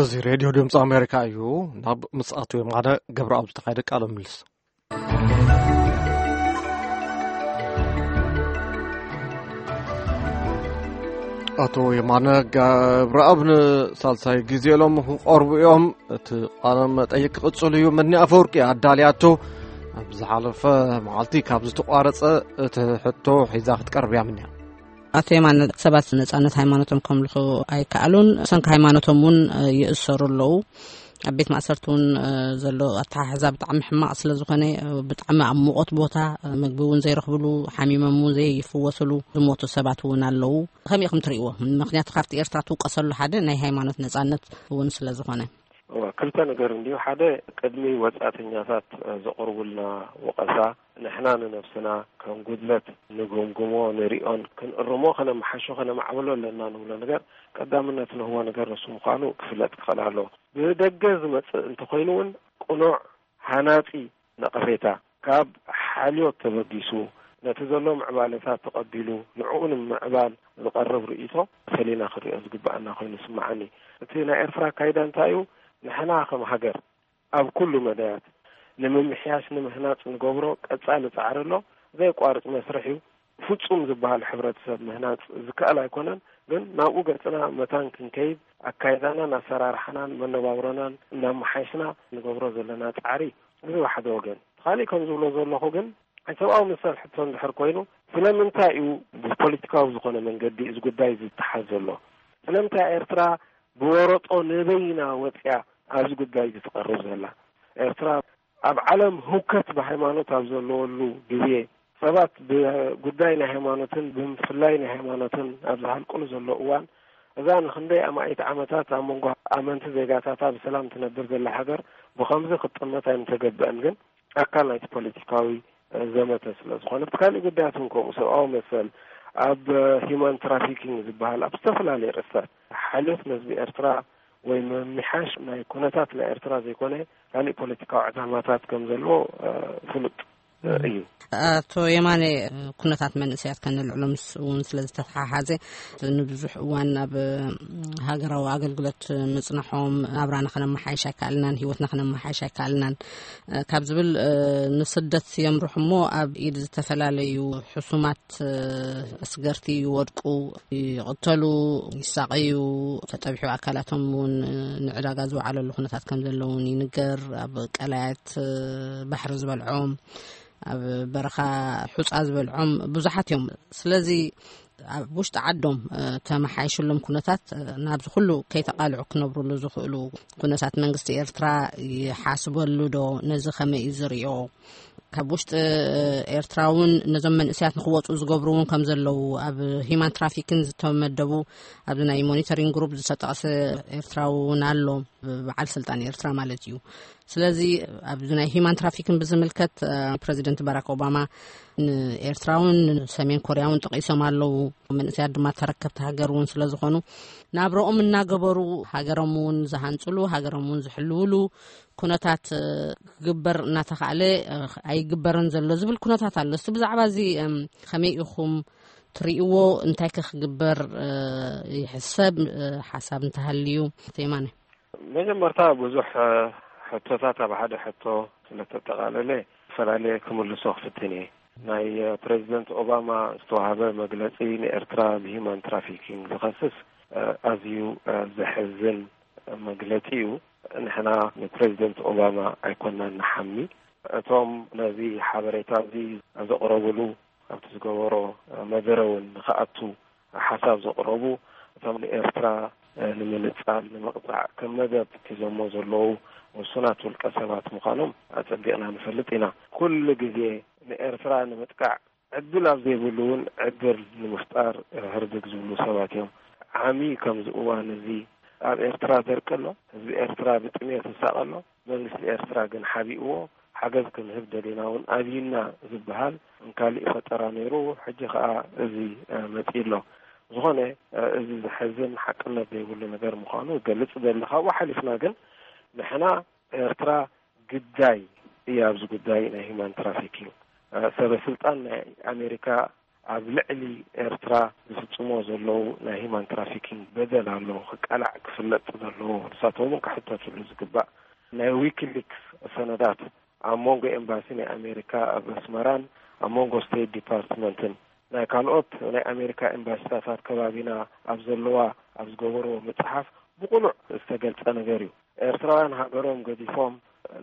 እዚ ሬድዮ ድምፂ ኣሜሪካ እዩ። ናብ ምስ ኣቶ የማነ ገብረኣብ ዝተኻየደ ቃለ ምልልስ። ኣቶ የማነ ገብረኣብ ንሳልሳይ ግዜ ኢሎም ክቐርቡ እዮም። እቲ ቃለ መጠይቅ ክቕጽል እዩ። መኒ ኣፈወርቂ ኣዳልያቶ። ኣብ ዝሓለፈ መዓልቲ ካብ ዝተቋረጸ እቲ ሕቶ ሒዛ ክትቀርብ እያ ምንያ። ኣቶ የማነ፣ ሰባት ነጻነት ሃይማኖቶም ከምልኹ ኣይከኣሉን። ሰንኪ ሃይማኖቶም እውን ይእሰሩ ኣለዉ። ኣብ ቤት ማእሰርቲ እውን ዘሎ ኣተሓሕዛ ብጣዕሚ ሕማቕ ስለ ዝኾነ፣ ብጣዕሚ ኣብ ሙቐት ቦታ፣ ምግቢ እውን ዘይረኽብሉ፣ ሓሚሞም እውን ዘይፍወስሉ፣ ዝሞቱ ሰባት እውን ኣለዉ። ከመይ ኢኹም ትርእይዎ? ምኽንያቱ ካብቲ ኤርትራ ትውቀሰሉ ሓደ ናይ ሃይማኖት ነጻነት እውን ስለ ዝኾነ። እዋ፣ ክልተ ነገር እንድዩ። ሓደ፣ ቅድሚ ወጻእተኛታት ዘቕርቡልና ወቐሳ፣ ንሕና ንነብስና ከም ጉድለት ንግምግሞ፣ ንሪኦን ክንእርሞ፣ ከነመሓሾ፣ ከነማዕብሎ ኣለና ንብሎ ነገር ቀዳምነት ንህቦ ነገር ንሱ ምዃኑ ክፍለጥ ክኽእል ኣለዎ። ብደገ ዝመጽእ እንተኾይኑ እውን ቅኑዕ፣ ሃናጺ ነቐፌታ፣ ካብ ሓልዮት ተበጊሱ፣ ነቲ ዘሎ ምዕባለታት ተቐቢሉ፣ ንዕኡ ንምምዕባል ዝቐርብ ርእይቶ ፈሊና ክንሪኦ ዝግብኣና ኮይኑ ይስምዓኒ። እቲ ናይ ኤርትራ ኣካይዳ እንታይ እዩ? ንሕና ከም ሃገር ኣብ ኩሉ መዳያት ንምምሕያሽ፣ ንምህናጽ ንገብሮ ቀጻሊ ጻዕሪ ኣሎ። ዘየቋርጽ መስርሕ እዩ። ፍጹም ዝበሃል ሕብረተሰብ ምህናጽ ዝከኣል ኣይኮነን፣ ግን ናብኡ ገጽና መታን ክንከይድ፣ ኣካይዳናን ኣሰራርሓናን መነባብሮናን እናመሓየሽና ንገብሮ ዘለና ጻዕሪ፣ እዚ ብሓደ ወገን። እቲ ካሊእ ከም ዝብሎ ዘለኹ ግን፣ ናይ ሰብኣዊ መሰል ሕቶ እንድሕር ኮይኑ፣ ስለምንታይ እዩ ብፖለቲካዊ ዝኾነ መንገዲ እዚ ጉዳይ ዝተሓዝ ዘሎ? ስለምንታይ ኤርትራ ብወረጦ ንበይና ወጽያ ኣብዚ ጉዳይ እዚ ትቐርብ ዘላ? ኤርትራ ኣብ ዓለም ህውከት ብሃይማኖት ኣብ ዘለወሉ ግዜ፣ ሰባት ብጉዳይ ናይ ሃይማኖትን ብምፍላይ ናይ ሃይማኖትን ኣብ ዝሃልቅሉ ዘሎ እዋን፣ እዛ ንክንደይ ኣማኢት ዓመታት ኣብ መንጎ ኣመንቲ ዜጋታታ ብሰላም ትነብር ዘላ ሃገር ብኸምዚ ክትጥመት ኣይምተገብአን። ግን ኣካል ናይቲ ፖለቲካዊ ዘመተ ስለ ዝኾነ፣ እቲ ካልእ ጉዳያት እውን ከምኡ፣ ሰብኣዊ መሰል፣ ኣብ ሂማን ትራፊኪንግ ዝበሃል፣ ኣብ ዝተፈላለዩ ርእስታት ሓልዮት ንህዝቢ ኤርትራ ወይ ምምሕያሽ ናይ ኩነታት ናይ ኤርትራ ዘይኮነ፣ ካልእ ፖለቲካዊ ዕላማታት ከም ዘለዎ፣ እ፣ ፍሉጥ፣ እ፣ እዩ። ኣቶ የማነ፣ ኩነታት መንእሰያት ከነልዕሎ ምስ እውን ስለ ዝተተሓሓዘ፣ ንብዙሕ እዋን ኣብ ሃገራዊ ኣገልግሎት ምጽናሖም፣ ናብራና ከነመሓይሽ ኣይከኣልናን፣ ህይወትና ከነመሓይሽ ኣይከኣልናን፣ እ፣ ካብ ዝብል፣ እ፣ ንስደት የምርሑ እሞ ኣብ ኢድ ዝተፈላለዩ ሕሱማት፣ እ፣ ኣስገርቲ ይወድቁ፣ ይቕተሉ፣ ይሳቐዩ፣ ተጠቢሑ ኣካላቶም እውን ንዕዳጋ ዝወዓለሉ ኩነታት ከም ዘለውን ይንገር። ኣብ ቀላያት ባሕሪ ዝበልዖም፣ ኣብ በረኻ ሑጻ ዝበልዖም ብዙሓት እዮም። ስለዚ ኣብ ውሽጢ ዓዶም፣ እ፣ ተመሓይሽሎም ኩነታት፣ እ፣ ናብዚ ኩሉ ከይተቓልዑ ክነብሩሉ ዝኽእሉ ኩነታት መንግስቲ ኤርትራ ይሓስበሉ ዶ? ነዚ ከመይ እዩ ዝርእዮ? ካብ ውሽጢ ኤርትራ እውን ነዞም መንእሰያት ንክወፁ ዝገብሩ እውን ከም ዘለዉ፣ ኣብ ሂማን ትራፊክን ዝተመደቡ ኣብዚ ናይ ሞኒተሪንግ ግሩፕ ዝተጠቕሰ ኤርትራዊ እውን ኣሎ፣ በዓል ስልጣን ኤርትራ ማለት እዩ። ስለዚ ኣብዚ ናይ ሂማን ትራፊክን ብዝምልከት፣ እ፣ ፕረዚደንት ባራክ ኦባማ ንኤርትራ እውን ንሰሜን ኮርያ እውን ጠቒሶም ኣለዉ። መንእሰያት ድማ ተረከብቲ ሃገር እውን ስለ ዝኾኑ፣ ናብረኦም እናገበሩ ሃገሮም እውን ዝሃንፅሉ፣ ሃገሮም እውን ዝሕልውሉ ኩነታት፣ እ፣ ክግበር እናተኻእለ፣ እ፣ ኣይግበርን ዘሎ ዝብል ኩነታት ኣሎ። እስቲ ብዛዕባ እዚ፣ እም፣ ከመይ ኢኹም ትርእይዎ? እንታይ ከ ክግበር፣ እ፣ ይሕሰብ? እ፣ ሓሳብ እንተሃልዩ፣ ኣቶ የማነ። መጀመርታ ብዙሕ፣ እ፣ ሕቶታት ኣብ ሓደ ሕቶ ስለተጠቓለለ፣ ፈላለየ ክምልሶ ክፍትን እየ። ናይ፣ እ፣ ፕሬዚደንት ኦባማ ዝተዋህበ መግለጺ ንኤርትራ ብሂማን ትራፊኪንግ ዝኸስስ፣ እ፣ ኣዝዩ፣ እ፣ ዘሕዝን መግለጺ እዩ። ንሕና ንፕሬዚደንት ኦባማ ኣይኮናን ንሓሚ። እቶም ነዚ ሓበሬታ እዚ ዘቕረብሉ፣ ኣብቲ ዝገበሮ መደረ እውን ንኽኣቱ ሓሳብ ዘቕረቡ፣ እቶም ንኤርትራ ንምንጻል፣ ንምቕጻዕ ከም መደብ ሒዞሞ ዘለዉ ውሱናት ውልቀ ሰባት ምዃኖም ኣጸቢቕና ንፈልጥ ኢና። ኩሉ ግዜ ንኤርትራ ንምጥቃዕ ዕድል ኣብ ዘይብሉ እውን ዕድል ንምፍጣር ህርድግ ዝብሉ ሰባት እዮም። ዓሚ ከምዚ እዋን እዚ ኣብ ኤርትራ ደርቂ ኣሎ። ህዝቢ ኤርትራ ብጥሜት ይሳቐ ኣሎ። መንግስቲ ኤርትራ ግን ሓቢእዎ፣ ሓገዝ ክንህብ ደሊና እውን ኣብይና ዝበሃል ካሊእ ፈጠራ ነይሩ። ሕጂ ኸኣ እዚ፣ እ፣ መጺኡ ኣሎ። ዝኾነ፣ እ፣ እዚ ዘሕዝን ሓቅነት ዘይብሉ ነገር ምዃኑ እገልጽ እደሊ። ካብኡ ሓሊፍና ግን ንሕና ኤርትራ ግዳይ እያ ኣብዚ ጉዳይ ናይ ሂማን ትራፊኪንግ። እ፣ ሰበ ስልጣን ናይ ኣሜሪካ ኣብ ልዕሊ ኤርትራ ዝፍጽሞ ዘለዉ ናይ ሂማን ትራፊኪንግ በደል ኣሎ፣ ክቃላዕ ክፍለጥ ዘለዎ፣ ንሳቶም እውን ክሕተትሉ ዝግባእ። ናይ ዊኪሊክስ ሰነዳት ኣብ መንጎ ኤምባሲ ናይ ኣሜሪካ ኣብ ኣስመራን ኣብ መንጎ ስቴት ዲፓርትመንትን ናይ ካልኦት ናይ ኣሜሪካ ኤምባሲታት ኣብ ከባቢና ኣብ ዘለዋ ኣብ ዝገበርዎ ምጽሓፍ ብቕሉዕ ዝተገልጸ ነገር እዩ። ኤርትራውያን ሃገሮም ገዲፎም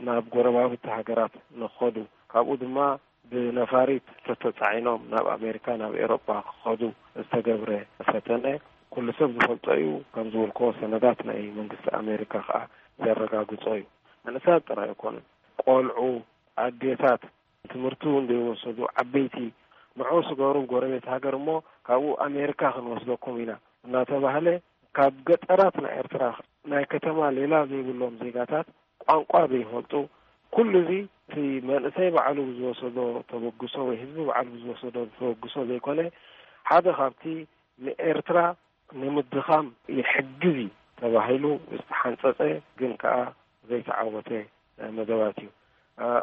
ናብ ጎረባብቲ ሃገራት ንኸዱ፣ ካብኡ ድማ ብነፋሪት ተተጻዒኖም ናብ ኣሜሪካ፣ ናብ ኤሮጳ ክኸዱ ዝተገብረ ፈተነ ኩሉ ሰብ ዝፈልጦ እዩ። ከም ዝበልክዎ ሰነዳት ናይ መንግስቲ ኣሜሪካ ከኣ ዘረጋግጾ እዩ። መንእሰያት ጥራይ ኣይኮኑን፣ ቆልዑ፣ ኣዴታት፣ ትምህርቲ እውን ዘይወሰዱ ዓበይቲ፣ ንዑ ስገሩ ጎረቤት ሃገር እሞ ካብኡ ኣሜሪካ ክንወስደኩም ኢና እናተባህለ ካብ ገጠራት ናይ ኤርትራ ናይ ከተማ ሌላ ዘይብሎም ዜጋታት ቋንቋ ዘይፈልጡ፣ ኩሉ እዚ እቲ መንእሰይ ባዕሉ ብዝወሰዶ ተበግሶ ወይ ህዝቢ ባዕሉ ብዝወሰዶ ተበግሶ ዘይኮነ ሓደ ካብቲ ንኤርትራ ንምድኻም ይሕግዝ እዩ ተባሂሉ ዝተሓንጸጸ ግን ከኣ ዘይተዓወተ መደባት እዩ።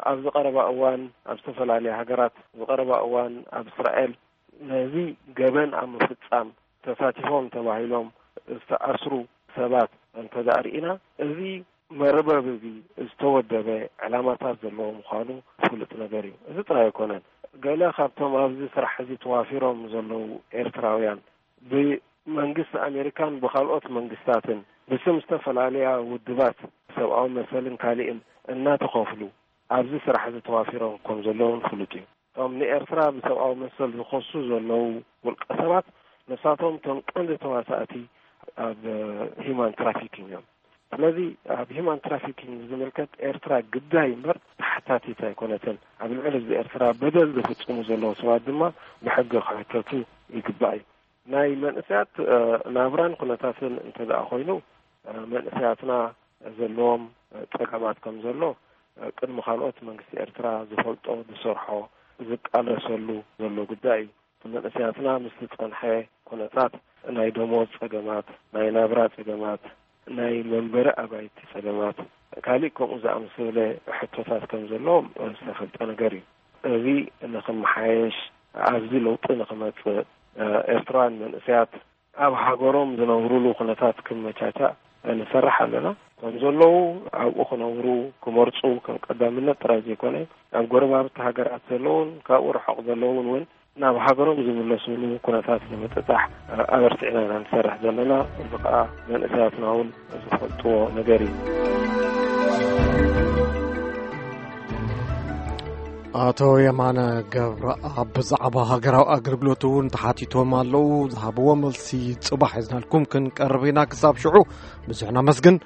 ኣብዚ ቀረባ እዋን ኣብ ዝተፈላለያ ሃገራት፣ ኣብዚ ቀረባ እዋን ኣብ እስራኤል ነዚ ገበን ኣብ ምፍጻም ተሳቲፎም ተባሂሎም ዝተኣስሩ ሰባት እንተ ደኣ ርኢና፣ እዚ መርበብ እዚ ዝተወደበ ዕላማታት ዘለዎ ምዃኑ ፍሉጥ ነገር እዩ። እዚ ጥራይ ኣይኮነን። ገለ ካብቶም ኣብዚ ስራሕ እዚ ተዋፊሮም ዘለዉ ኤርትራውያን ብመንግስቲ ኣሜሪካን ብኻልኦት መንግስታትን ብስም ዝተፈላለያ ውድባት ሰብኣዊ መሰልን ካሊእን እናተኸፍሉ ኣብዚ ስራሕ እዚ ተዋፊሮም ከም ዘለውን ፍሉጥ እዩ። እቶም ንኤርትራ ብሰብኣዊ መሰል ዝኸሱ ዘለዉ ውልቀ ሰባት ንሳቶም እቶም ቀንዲ ተዋሳእቲ ኣብ ሂማን ትራፊኪንግ እዮም። ስለዚ ኣብ ሂማን ትራፊኪንግ ዝምልከት ኤርትራ ግዳይ እምበር ተሓታቲት ኣይኮነትን። ኣብ ልዕሊ ህዝቢ ኤርትራ በደል ዝፍጽሙ ዘለዉ ሰባት ድማ ብሕጊ ክሕተቱ ይግባእ እዩ። ናይ መንእሰያት ናብራን ኩነታትን እንተ ደኣ ኮይኑ መንእሰያትና ዘለዎም ጸገማት ከም ዘሎ ቅድሚ ካልኦት መንግስቲ ኤርትራ ዝፈልጦ፣ ዝሰርሖ፣ ዝቃለሰሉ ዘሎ ጉዳይ እዩ። መንእሰያትና ምስ ዝጸንሐ ኩነታት ናይ ደሞዝ ጸገማት፣ ናይ ናብራ ጸገማት፣ ናይ መንበሪ ኣባይቲ ጸገማት፣ ካሊእ ከምኡ ዝኣመሰለ ሕቶታት ከም ዘለዎም ዝተፈልጠ ነገር እዩ። እዚ ንኽመሓየሽ ኣብዚ ለውጢ ንኽመጽእ ኤርትራውያን መንእሰያት ኣብ ሃገሮም ዝነብሩሉ ኩነታት ክመቻቻእ ንሰርሕ ኣለና። ከም ዘለዉ ኣብኡ ክነብሩ ክመርጹ ከም ቀዳምነት ጥራይ ዘይኮነ ኣብ ጎረባብቲ ሃገራት ዘለውን ካብኡ ርሑቕ ዘለውን እውን ናብ ሃገሮም ዝምለስሉ ኩነታት ንምጥጣሕ ኣበርቲዕና ኢና ንሰርሕ ዘለና። እዚ ከኣ መንእሰያትና እውን ዝፈልጥዎ ነገር እዩ። ኣቶ የማነ ገብረኣብ ብዛዕባ ሃገራዊ ኣገልግሎት እውን ተሓቲቶም ኣለዉ። ዝሃብዎ መልሲ ጽባሕ ሒዝናልኩም ክንቀርብ ኢና። ክሳብ ሽዑ ብዙሕ ነመስግን።